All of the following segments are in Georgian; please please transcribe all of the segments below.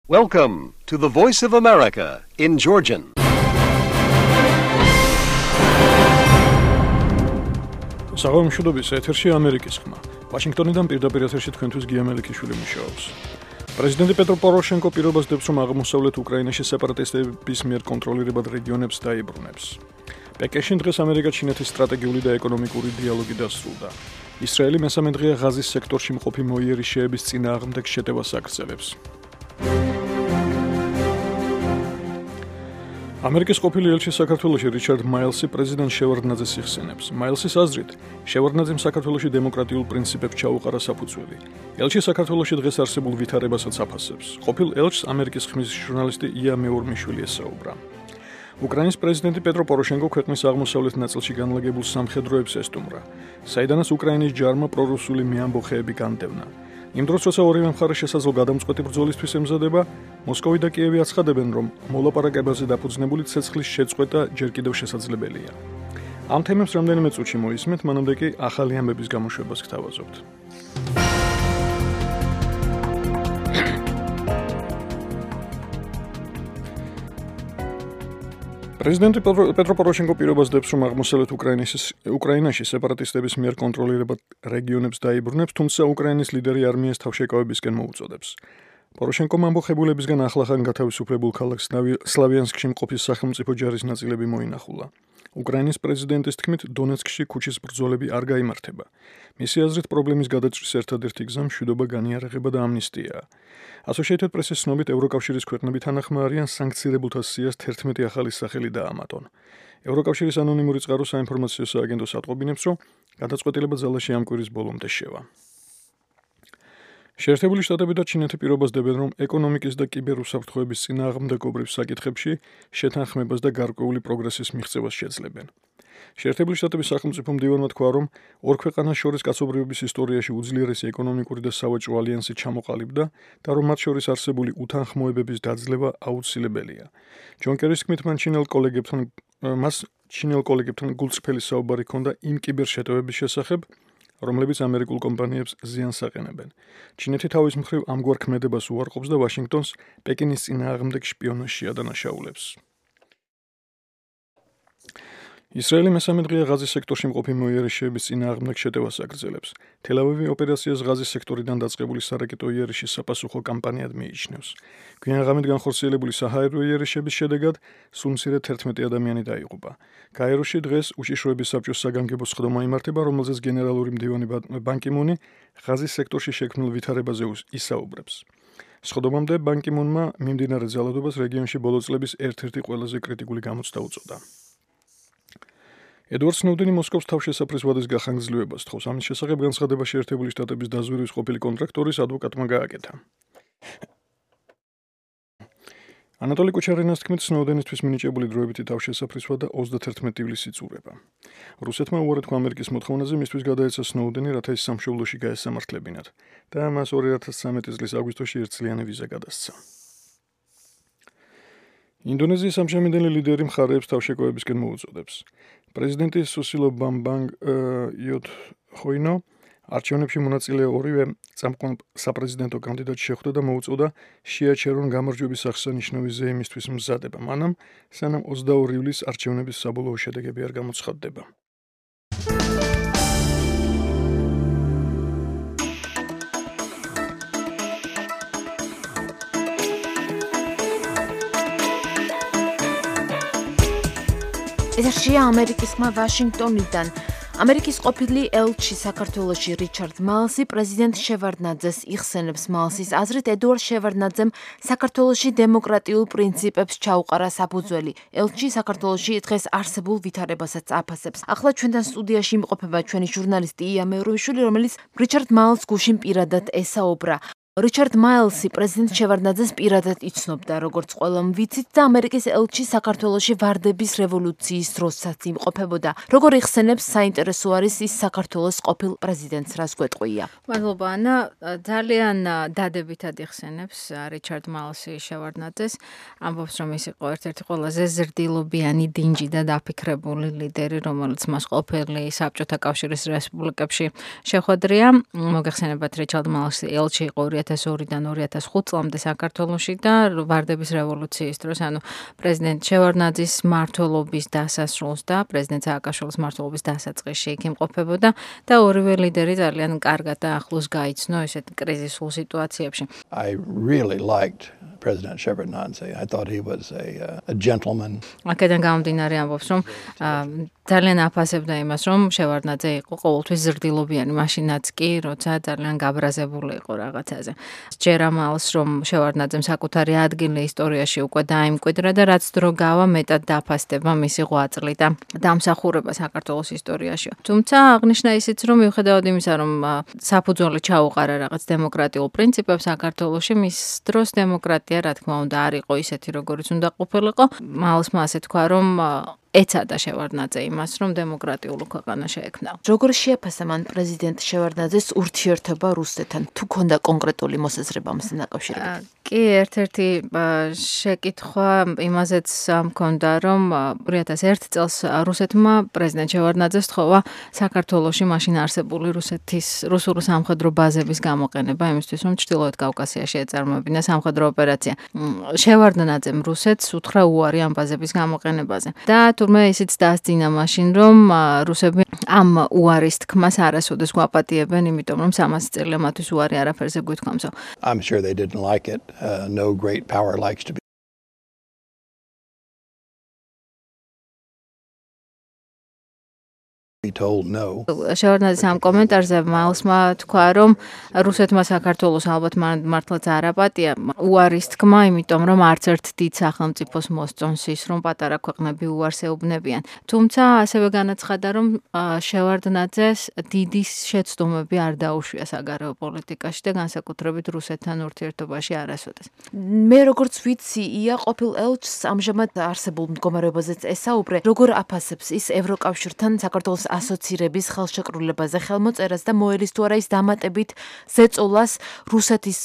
Welcome to the Voice of America in Georgian. საღამოშობების ეთერში ამერიკის ხმა. ვაშინგტონიდან პირდაპირ ეთერში თქვენთვის გია მელიქიშვილი მუშაობს. პრეზიდენტი პეტრო პოროშენკო პირობას დებს, რომ აღმოსავლეთ უკრაინაში სეპარატისტების მიერ კონტროლირებად რეგიონებს დაიბრუნებს. პეკინში დღეს ამერიკა-ჩინეთის სტრატეგიული და ეკონომიკური დიალოგი დასრულდა. ისრაელი მესამე დღეა ღაზის სექტორში მყოფი მოიერიშეების წინააღმდეგ შეტევას აგრძელებს. ამერიკის ყოფილი ელჩი საქართველოში რიჩარდ მაილსი პრეზიდენტ შევარდნაძეს იხსენებს. მაილსის აზრით, შევარდნაძემ საქართველოში დემოკრატიულ პრინციპებს ჩაუყარა საფუძველი. ელჩი საქართველოში დღეს არსებულ ვითარებასაც აფასებს. ყოფილ ელჩს ამერიკის ხმის ჟურნალისტი ია მეორმიშვილი ესაუბრა. უკრაინის პრეზიდენტი პეტრო პოროშენკო ქვეყნის აღმოსავლეთ ნაწილში განლაგებულ სამხედროებს ესტუმრა, საიდანაც უკრაინის ჯარმა პრორუსული მეამბოხეები განდევნა. იმ დროს, როცა ორივე მხარე შესაძლო გადამწყვეტი ბრძოლისთვის ემზადება, მოსკოვი და კიევი აცხადებენ, რომ მოლაპარაკებაზე დაფუძნებული ცეცხლის შეწყვეტა ჯერ კიდევ შესაძლებელია. ამ თემებს რამდენიმე წუთში მოისმენთ, მანამდე კი ახალი ამბების გამოშვებას გთავაზობთ. პრეზიდენტი პეტრო პოროშენკო პირობას დებს, რომ აღმოსავლეთ უკრაინაში სეპარატისტების მიერ კონტროლირებად რეგიონებს დაიბრუნებს, თუმცა უკრაინის ლიდერი არმიას თავშეკავებისკენ მოუწოდებს. პოროშენკომ ამბოხებულებისგან ახლახან გათავისუფლებულ ქალაქ სლავიანსკში მყოფი სახელმწიფო ჯარის ნაწილები მოინახულა. უკრაინის პრეზიდენტის თქმით, დონეცკში ქუჩის ბრძოლები არ გაიმართება. მისი აზრით, პრობლემის გადაჭრის ერთადერთი გზა მშვიდობა, განიარაღება და ამნისტიაა. Associated Press-ის ცნობით, ევროკავშირის ქვეყნები თანახმარიან სანქცირებულთა სიას 11 ახალი სახელი დაამატონ. ევროკავშირის ანონიმური წყარო საინფორმაციო სააგენტოს ატყობინებს, რომ გადაწყვეტილება ძალაში ამ კვირის ბოლომდე შევა. შეერთებული შტატები და ჩინეთი პირობას დებენ, რომ ეკონომიკის და კიბერუსაფრთხოების წინააღმდეგობრივ საკითხებში შეთანხმებას და გარკვეული პროგრესის მიღწევას შეძლებენ. შეერთებული შტატების სახელმწიფო მდივანმა თქვა, რომ ორ ქვეყანას შორის კაცობრიობის ისტორიაში უძლიერესი ეკონომიკური და სავაჭრო ალიანსი ჩამოყალიბდა და რომ მათ შორის არსებული უთანხმოებების დაძლევა აუცილებელია. ჯონ კერის თქმით, მას ჩინელ კოლეგებთან გულწრფელი საუბარი ჰქონდა იმ კიბერშეტევების შესახებ, რომლებიც ამერიკულ კომპანიებს ზიანს აყენებენ. ჩინეთი თავის მხრივ ამგვარ ქმედებას უარყოფს და ვაშინგტონს პეკინის წინააღმდეგ შპიონაჟში ადანაშაულებს. ისრაელი მესამე დღეა ღაზის სექტორში მყოფი მოიერიშეების წინააღმდეგ შეტევას აგრძელებს. თელ-ავივი ოპერაციას ღაზის სექტორიდან დაწყებული სარაკეტო იერიშის საპასუხო კამპანიად მიიჩნევს. გვიან-ღამით განხორციელებული საჰაერო იერიშების შედეგად სულ მცირედ 11 ადამიანი დაიღუპა. გაეროში დღეს უშიშროების საბჭოს საგანგებო სხდომა იმართება, რომელზეც გენერალური მდივანი ბან კი მუნი ღაზის სექტორში შექმნილ ვითარებაზე ისაუბრებს. სხდომამდე ბან კი მუნმა მიმდინარე ძალადობას რეგიონში ბოლო წლების ერთ-ერთი ყველაზე კრიტიკული გამოცდა უწოდა. ედვარდ სნოუდენი მოსკოვს თავშესაფრის ვადის გახანგრძლივებას თხოვს. ამის შესახებ განცხადება შეერთებული შტატების დაზვერვის ყოფილი კონტრაქტორის ადვოკატმა გააკეთა. ანატოლი კუჩარინას თქმით, სნოუდენისთვის მინიჭებული დროებითი თავშესაფრის ვადა 31 ივლისს იწურება. რუსეთმა უარად თქვა ამერიკის მოთხოვნაზე, მისთვის გადაეცა სნოუდენი, რათა ის სამშობლოში გაესამართლებინათ და მას 2013 წლის აგვისტოში ერთწლიანი ვიზა გადასცა. ინდონეზიის ამჟამინდელი ლიდერი მხარეებს თავშეკავებისკენ მოუწოდებს. პრეზიდენტი სუსილო ბამბანგ იოდჰოინო არჩევნებში მონაწილე ორივე წამყვან საპრეზიდენტო კანდიდატს შეხვდა და მოუწოდა შეაჩერონ გამარჯვების აღსანიშნავი ზეიმისთვის მზადება, მანამ სანამ 22 ივლისს არჩევნების საბოლოო შედეგები არ გამოცხადდება. ეთერშია ამერიკის ხმა ვაშინგტონიდან. ამერიკის ყოფილი ელჩი საქართველოში რიჩარდ მაილსი პრეზიდენტ შევარდნაძეს იხსენებს. მაილსის აზრით, ედუარდ შევარდნაძემ საქართველოში დემოკრატიულ პრინციპებს ჩაუყარა საფუძველი. ელჩი საქართველოში დღეს არსებულ ვითარებასაც აფასებს. ახლა ჩვენთან სტუდიაში იმყოფება ჩვენი ჟურნალისტი ია მეორმიშვილი, რომელიც რიჩარდ მაილს გუშინ პირადად ესაუბრა. რიჩარდ მაილსი პრეზიდენტ შევარდნაძეს პირადად იცნობდა, როგორც ყველამ ვიცით, და ამერიკის ელჩი საქართველოში ვარდების რევოლუციის დროსაც იმყოფებოდა. როგორ იხსენებს, საინტერესო არის ის საქართველოს ყოფილ პრეზიდენტს, რას გვეტყვია. მადლობა ანა, ძალიან დადებითად იხსენებს რიჩარდ მაილსი შევარდნაძეს, ამბობს, რომ ის იყო ერთ-ერთი ყველაზე ზრდილობიანი, დინჯი და დაფიქრებული ლიდერი, რომელიც მას ყოფილი საბჭოთა კავშირის რესპუბლიკებში შეხვედრია. მოგეხსენებათ, რიჩარდ მაილსი ელჩი იყო 2002-დან 2005 წლამდე საქართველოში და ვარდების რევოლუციის დროს, ანუ პრეზიდენტ შევარდნაძის მმართველობის დასასრულს და პრეზიდენტ სააკაშვილის მმართველობის დასაწყისში იქ იმყოფებოდა და ორივე ლიდერი ძალიან კარგად და ახლოს გაიცნო ესეთ კრიზისულ სიტუაციებში. I really liked President Shevardnadze. I thought he was a gentleman. აქედან გამომდინარე ამბობს, რომ ძალიან აფასებდა იმას, რომ შევარდნაძე იყო ყოველთვის ზრდილობიანი, მაშინაც კი, როცა ძალიან გაბრაზებული იყო რაღაცაზე. ჯერ ამალს, რომ შევარდნაძემ საკუთარი ადგილი ისტორიაში უკვე დაიმკვიდრა და რაც დრო გავა, მეტად დაფასდება მისი ღვაწლი და დამსახურება საქართველოს ისტორიაში. თუმცა აღნიშნა ისიც, რომ მიუხედავად იმისა, რომ საფუძველი ჩაუყარა რაღაც დემოკრატიულ პრინციპებს საქართველოში, მის დროს დემოკრატია, რა თქმა უნდა, არ იყო ისეთი, როგორიც უნდა ყოფილიყო. მალსმა ასე თქვა, რომ ეცადა შევარდნაძე იმას, რომ დემოკრატიული ქვეყანა შეექმნა. როგორ შეაფასა მან პრეზიდენტ შევარდნაძეს ურთიერთობა რუსეთთან? თუ ქონდა კონკრეტული მოსაზრება ამასთან დაკავშირებით? კი, ერთ-ერთი შეკითხვა იმაზეც მქონდა, რომ 2001 წელს რუსეთმა პრეზიდენტ შევარდნაძეს თხოვა საქართველოში მაშინ არსებული რუსული სამხედრო ბაზების გამოყენება იმისთვის, რომ ჩრდილოეთ კავკასიაში ეწარმოებინა სამხედრო ოპერაცია. შევარდნაძემ რუსეთს უთხრა უარი ამ ბაზების გამოყენებაზე. და თურმე ისიც დაასძინა მაშინ, რომ რუსები ამ უარის თქმას არასოდეს გვაპატიებენ, იმიტომ რომ 300 წელი მათთვის უარი არაფერზე გვითქვამსო. I'm sure they didn't like it. No great power likes to be told no. შევარდნაძის ამ კომენტარზე მალსმა თქვა, რომ რუსეთმა საქართველოს ალბათ მართლაც არ აპატია უარის თქმა, იმიტომ რომ არც ერთ დიდ სახელმწიფოს მოსწონს ის, რომ პატარა ქვეყნები უარს ეუბნებიან. თუმცა ასევე განაცხადა, რომ შევარდნაძეს დიდი შეცდომები არ დაუშვია საგარეო პოლიტიკაში და განსაკუთრებით რუსეთთან ურთიერთობაში არასოდეს. მე როგორც ვიცი, ია ყოფილ ელჩს ამჟამად არსებულ მდგომარეობაზეც ესაუბრე, როგორ აფასებს ის ევროკავშირთან საქართველოს ასოცირების ხელშეკრულებაზე ხელმოწერას და მოელის თუ არა ის დამატებით ზეწოლას რუსეთის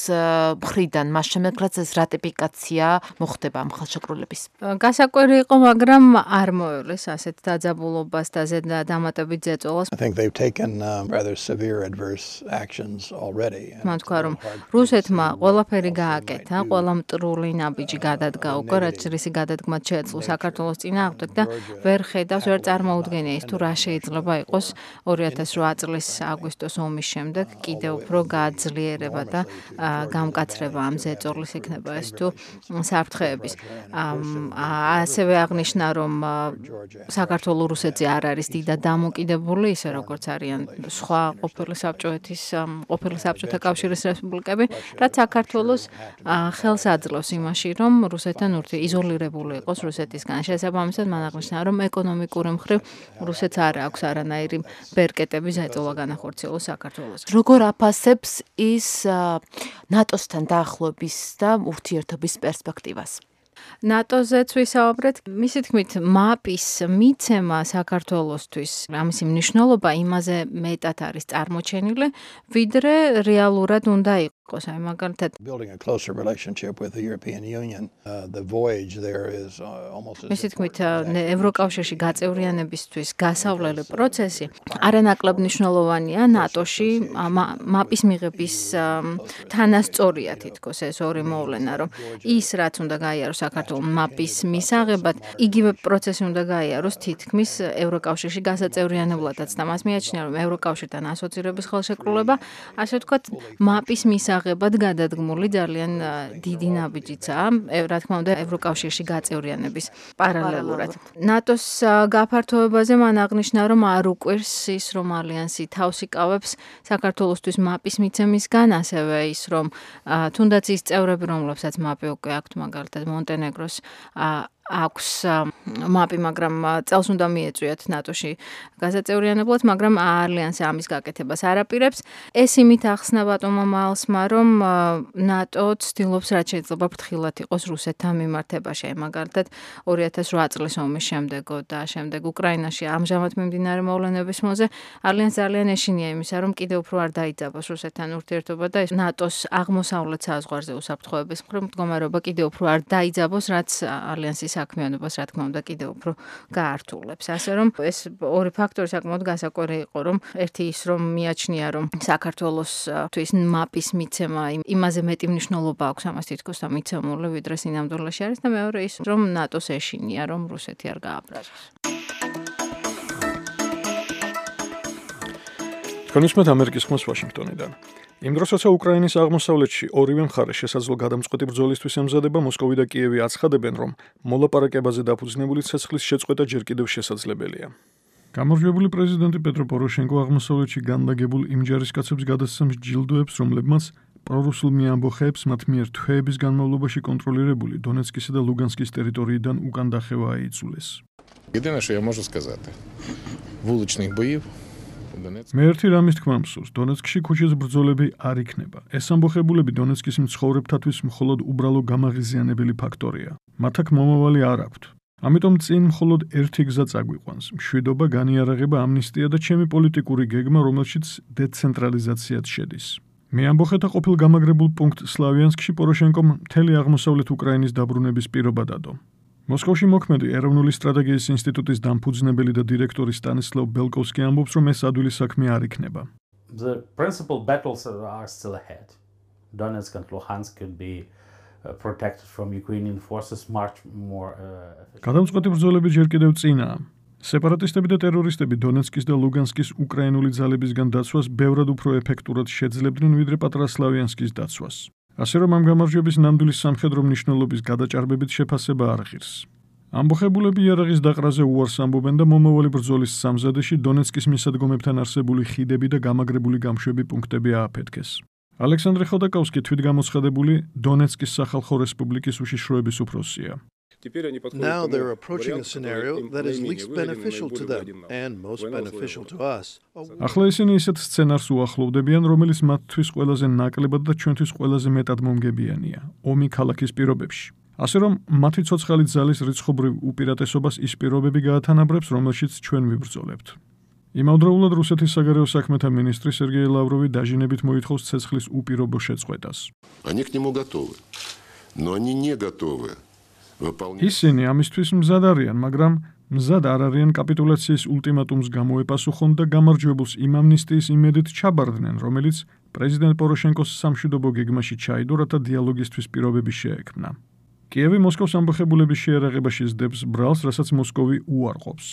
მხრიდან, მას შემდეგ რაც ეს რატიფიკაცია მოხდება ამ ხელშეკრულების. გასაკვირი იყო, მაგრამ არ მოელის ასეთ დაძაბულობას და დამატებით ზეწოლას. I think they've taken rather severe adverse actions already. მან თქვა, რომ რუსეთმა ყველაფერი გააკეთა, ყველა მტრული ნაბიჯი გადადგა უკვე, რაც რისი გადადგმაც შეეძლო საქართველოს წინააღმდეგ და ვერ ხედავს, ვერ წარმოუდგენია ის თუ რა შეიძლება იყოს 2008 წლის აგვისტოს ომის შემდეგ კიდევ უფრო გააძლიერება და გამკაცრება ამ ზეწოლის იქნება ეს თუ საფრთხეების. ასევე აღნიშნა, რომ საქართველოს რუსეთზე არ არის დიდად დამოკიდებული, ისე როგორც არიან სხვა ყოფილი საბჭოთა კავშირის რესპუბლიკები, რაც საქართველოს ხელს აძლევს იმაში, რომ რუსეთთან იზოლირებული იყოს რუსეთისგან. შესაბამისად, მან აღნიშნა, რომ ეკონომიკური მხრივ რუსეთს არ აქვს არანაირი ბერკეტები ზეწოლა განახორციელოს საქართველოს. როგორ აფასებს ის ნატოსთან დაახლოების და ურთიერთობის პერსპექტივას? ნატოზეც ვისაუბრეთ, მისი თქმით, მაპის მიცემა საქართველოსთვის, ამისი მნიშვნელობა იმაზე მეტად არის წარმოჩენილი, ვიდრე რეალურად უნდა იყოს. აი მაგალითად, Building a closer relationship with the European Union, the voyage there is almost as მისი თქმით, ევროკავშირში გაწევრიანებისთვის გასავლელი პროცესი არანაკლებ მნიშვნელოვანია ნატოში მაპის მიღების თანასწორია თითქოს ეს ორი მოვლენა, რომ ის რაც უნდა გაიაროს საქართველოს მაპის მისაღებად, იგივე პროცესი უნდა გაიაროს თითქმის ევროკავშირში გასაწევრიანებლადაც და მას მიაჩნია, რომ ევროკავშირთან ასოცირების ხელშეკრულება, ასე ვთქვათ, მაპის მისაღებად გადადგმული ძალიან დიდი ნაბიჯიცაა, რა თქმა უნდა, ევროკავშირში გაწევრიანების პარალელურად. ნატოს გაფართოებაზე მან აღნიშნა, რომ არ უკვირს ის, რომ ალიანსი თავს იკავებს საქართველოსთვის მაპის მიცემისგან, ასევე ის, რომ თუნდაც ის წევრები, რომლებსაც მაპი უკვე აქვთ, მაგალითად მონტენეგროს აქვს მაპი, მაგრამ წელს უნდა მიეწვიათ ნატოში გასაწევრიანებლად, მაგრამ ალიანსი ამის გაკეთებას არ აპირებს. ეს იმით ახსნა ბატონმა მალსმა, რომ ნატო ცდილობს რაც შეიძლება ფრთხილად იყოს რუსეთთან მიმართებაში. მაგალითად 2008 წლის ომის შემდეგო და შემდეგ უკრაინაში ამჟამად მიმდინარე მოვლენების მოზე ალიანსს ძალიან ეშინია იმისა, რომ კიდევ უფრო არ დაიძაბოს რუსეთთან ურთიერთობა და ნატოს აღმოსავლეთ საზღვარზე უსაფრთხოების მხრივ მდგომარეობა კიდევ უფრო არ დაიძაბოს, რაც ალიანსის საქმიანობას რა თქმა უნდა კიდევ უფრო გაართულებს. ასე რომ ეს ორი ფაქტორი საკმაოდ განსაკუთრებული იყო, რომ ერთი ის რომ მიაჩნია რომ საქართველოსთვის მაპის მიცემა იმაზე მეტი მნიშვნელობა აქვს ამას თითქოს და მიცემული ვიდრე სინამდვილეში არის და მეორე ის რომ ნატოს ეშინია რომ რუსეთი არ გააბრაზოს. თქვენ უსმენთ ამერიკის ხმას ვაშინგტონიდან. იმ დროს, როცა უკრაინის აღმოსავლეთში ორივე მხარე შესაძლო გადამწყვეტი ბრძოლისთვის ემზადება, მოსკოვი და კიევი აცხადებენ, რომ მოლაპარაკებაზე დაფუძნებული ცეცხლის შეწყვეტა ჯერ კიდევ შესაძლებელია. გამარჯვებული პრეზიდენტი პეტრო პოროშენკო აღმოსავლეთში განლაგებულ იმ ჯარისკაცებს გადასცემს ჯილდოებს, რომლებმაც პრორუსულმი ამბოხეებს მათ მიერ თვეების განმავლობაში კონტროლირებული დონეცკისა და ლუგანსკის ტერიტორიიდან უკან დახევა აიძულეს. Єдине, що я можу сказати, вуличних боїв მე ერთი რამის თქმა მსურს, დონეცკში ქუჩის ბრძოლები არ იქნება. ეს ამბოხებულები დონეცკის მცხოვრებთათვის მხოლოდ უბრალო გამაღიზიანებელი ფაქტორია. მათ აქ მომავალი არ აქვთ. ამიტომ წინ მხოლოდ ერთი გზა წაგვიყვანს: მშვიდობა, განიარაღება, ამნისტია და ჩემი პოლიტიკური გეგმა, რომელშიც დეცენტრალიზაციაც შედის. მე ამბოხეთა ყოფილ გამაგრებულ პუნქტ სლავიანსკში პოროშენკომ მთელი აღმოსავლეთ უკრაინის დაბრუნების პირობა დადო. მოსკოვში მოქმედი ეროვნული სტრატეგიის ინსტიტუტის დამფუძნებელი და დირექტორი სტანისლავ ბელკოვსკი ამბობს, რომ ეს ადვილი საქმე არ იქნება. The principal battles are still ahead. Donetsk and Luhansk could be protected from Ukrainian forces much more გადამწყვეტი ბრძოლები ჯერ კიდევ წინაა. სეპარატისტები და ტერორისტები დონეცკის და ლუგანსკის უკრაინული ძალებისგან დაცვას ბევრად უფრო ეფექტურად შეძლებდნენ, ვიდრე პატრა სლავიანსკის დაცვას. ასე რომ ამ გამარჯვების ნამდვილი სამხედრო მნიშვნელობის გადაჭარბებით შეფასება არ ღირს. ამბოხებულები იარაღის დაყრაზე უარს ამბობენ და მომავალი ბრძოლის სამზადეში დონეცკის მისადგომებთან არსებული ხიდები და გამაგრებული გამშვები პუნქტები ააფეთქეს. ალექსანდრე ხოდაკოვსკი თვითგამოცხადებული დონეცკის სახალხო რესპუბლიკის უშიშროების უფროსია. Now they're approaching a scenario that is least beneficial to them and most beneficial to us. ახლა ისინი ისეთ სცენარს უახლოვდებიან, რომელიც მათთვის ყველაზე ნაკლებად და ჩვენთვის ყველაზე მეტად მომგებიანია, ომი ქალაქის პირობებში. ასე რომ მათი ცოცხალი ძალის რიცხობრივ უპირატესობას ის პირობები გაათანაბრებს, რომელშიც ჩვენ ვიბრძოლებთ. იმავდროულად რუსეთის საგარეო საქმეთა მინისტრი სერგეი ლავროვი დაჟინებით მოითხოვს ცეცხლის უპირობო შეწყვეტას. Они к нему готовы, но они не готовы. ისინი ამისთვის მზად არიან, მაგრამ მზად არ არიან კაპიტულაციის ულტიმატუმს გამოეპასუხონ და გამარჯვებულს იმ ამნისტიის იმედით ჩაბარდნენ, რომელიც პრეზიდენტ პოროშენკოს სამშვიდობო გეგმაში ჩაიდო, რათა დიალოგისთვის პირობები შეექმნა. კიევი მოსკოვს ამბოხებულების შეერაღებაში სდებს ბრალს, რასაც მოსკოვი უარყოფს.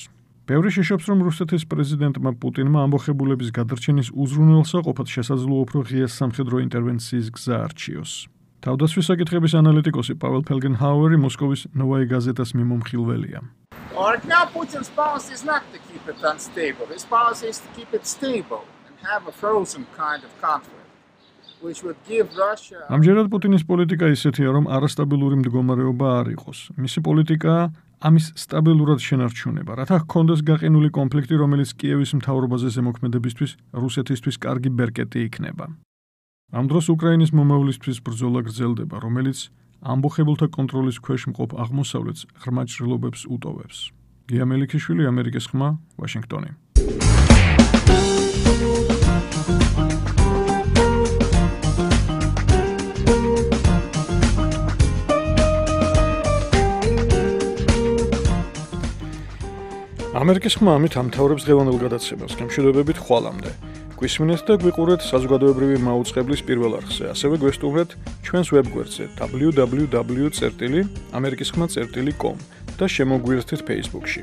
ბევრი შეშობს, რომ რუსეთის პრეზიდენტმა პუტინმა ამბოხებულების გადარჩენის უზრუნველსაყოფად შესაძლოა უფრო ღია სამხედრო ინტერვენციის გზა არჩიოს. თავდაცვის საკითხების ანალიტიკოსი პაվել ფელგენჰაუერი მოსკოვის ნოვაი გაზეტას მიმომხილველია. Right now Putin's policy is not to keep it unstable. His policy is to keep it stable and have a frozen kind of conflict, which would give Russia ამჯერად პუტინის პოლიტიკა ისეთია, რომ არასტაბილური მდგომარეობა არ იყოს. მისი პოლიტიკა ამის სტაბილურად შენარჩუნება, რათა ჰქონდეს გაყინული კონფლიქტი, რომელიც კიევის მთავრობაზე ზემოქმედებისთვის რუსეთისთვის კარგი ბერკეტი იქნება. ამ დროს უკრაინის მომავლისთვის ბრძოლა გრძელდება, რომელიც ამბოხებულთა კონტროლის ქვეშ მყოფ აღმოსავლეთს ღრმა ჭრილობებს უტოვებს. გია მელიქიშვილი, ამერიკის ხმა, ვაშინგტონი. ამერიკის ხმა ამით ამთავრებს დღევანდელ გადაცემას. გემშვიდობებით ხვალამდე. გვისმინეთ და გვიყურეთ საზოგადოებრივი მაუწყებლის პირველ არხზე. ასევე გვესტუმრეთ ჩვენს ვებგვერდზე www.amerikiskhma.com და შემოგვიერთეთ Facebook-ში.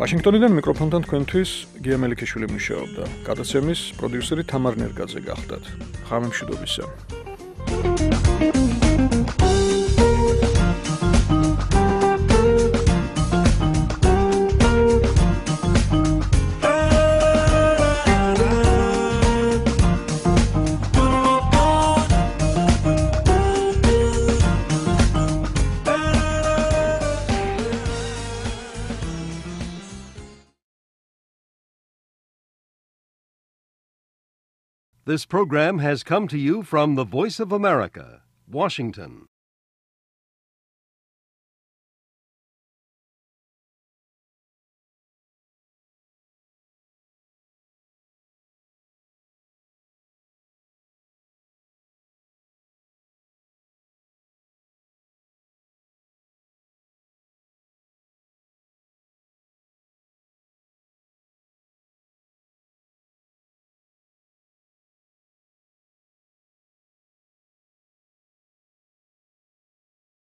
ვაშინგტონიდან მიკროფონთან თქვენთვის გია მელიქიშვილი მუშაობდა. გადაცემის პროდიუსერი თამარ ნერგაძე გახდათ. ღამე მშვიდობისა. This program has come to you from the Voice of America, Washington.